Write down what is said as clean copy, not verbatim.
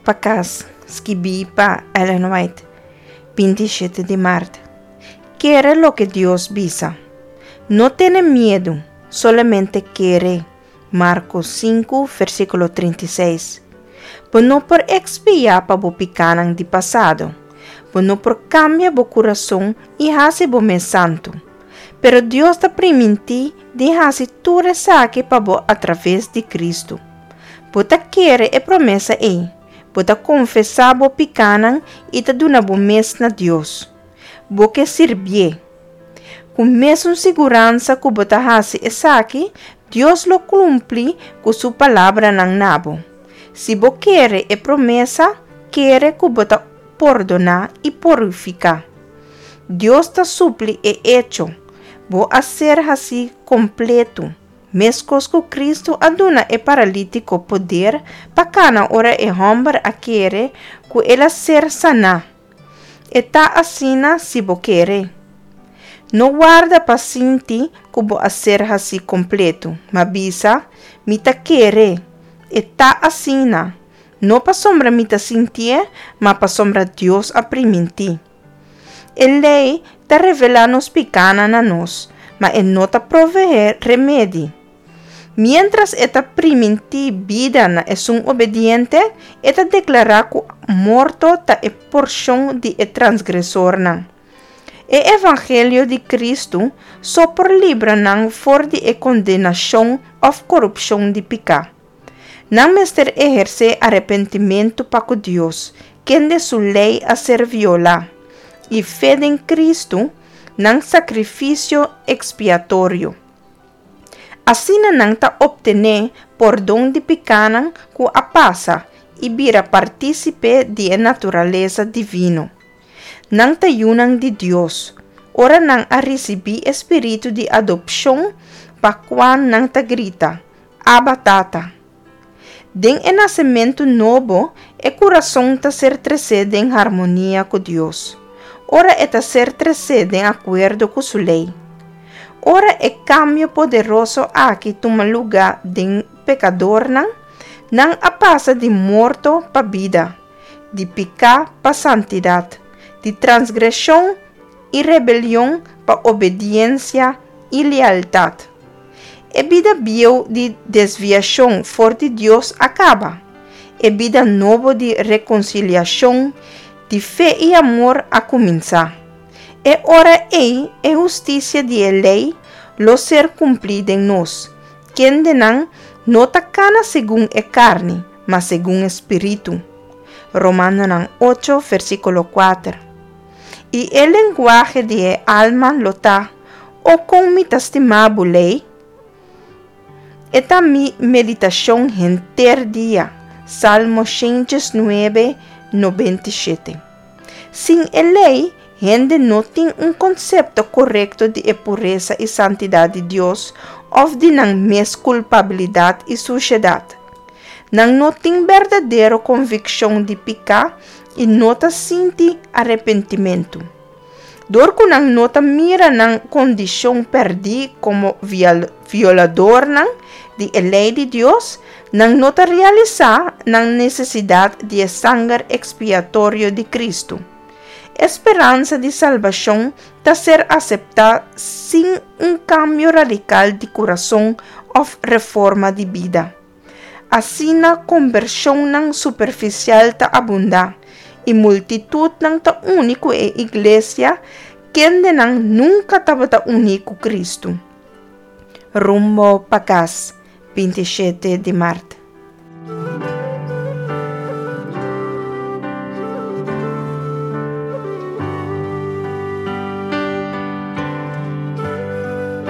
pa kas, skibí pa Ellen White, 27 di mart. Kere loke Dios bisa. No tene miedu, solamente kere. Marko 5, versíkulo 36. Bo no por ekspiá pa bo pikánan di pasado. Bo no por kambia bo kurason i hasi bo mes santu. Pero Dios ta primintí di hasi tur esaki pa bo atraves di Kristu. Bo ta kere e promesa ei, bo ta konfesá bo pikánan i ta duna bo mes na Dios. Bo ke sirbié. Ku mesun siguransa ku bo ta hasi esaki, Dios lo kumpli ku su palabranan na bo. Si bo kere e promesa, kere ku bo ta pordoná i purifiká. Dios ta supli e echo, bo a ser hasí kompletu, meskos ku Kristu a duna e paralítiko poder pa kana ora e hòmber a kere ku el a ser saná. E ta asina si bo kere. No warda pa sinti ku bo a ser hasí kompletu, ma bisa, Mi ta kere. E ta asina. No pasobra mi ta sintié, ma pasobra Dios a primintí. E lei ta revelá nos pikánan na nos, ma e no ta proveé remedi. Miéntras e ta primintí bida na esun obediente, e ta deklará ku morto ta e porshon di e transgresornan. E evangelio di Kristu so por libra nan for di e kondenashon òf korupshon di piká. Nan mester ehersé arepentimentu pa ku Dios, kende su lei a ser violá, i fe den Kristu, nan sakrifisio ekspiatorio. Asina nan ta optené pordon di pikánan ku a pasa i bira partísipe di e naturalesa divino. Nan ta yunan di Dios, ora nan a risibí e spiritu di adopshon pa kua nan ta grita, Abba, Tata! Den e nasementu nobo, e kurason ta ser tresé den harmonia ku Dios, ora e ta ser tresé den akuerdo ku su lei. Ora e kambio poderoso aki tuma lugá den pekadornan, nan a pasa di morto pa bida, di piká pa santidat, di transgreshon i rebelion pa obediensia i lealtat. E bida bieu di desviashon for di Dios a kaba. E bida nobo di rekonsiliashon, di fe i amor a kuminsá. E ora ei e hustisia di e lei lo ser kumplí den nos, kendenan no ta kana segun e karni, ma segun e spiritu. Romanonan ocho, versíkulo kuater. I e lenguahe di e alma lo ta, O kon mi ta stima bo lei! E ta mi meditashon henter dia. Salmo 119, 97. Sin e lei, hende no tin un konsepto korekto di e puresa i santidat di Dios òf di nan mes kulpabilidat i sushedat. Nan no tin berdadero konvikshon di piká i no ta sinti arepentimentu. Dor ku nan no ta mira nan kondishon pèrdí komo violadornan di e lei di Dios, nan no ta realisá nan nesesidat di e sanger ekspiatorio di Kristu. E speransa di salbashon ta ser aseptá sin un kambio radikal di kurason òf reforma di bida. Asina kombershonnan superfisial ta abundá, i multitutnan ta uni ku e iglesia kendenan nunka tabata uní ku Kristu. Rumbo pa kas, 27 di mart.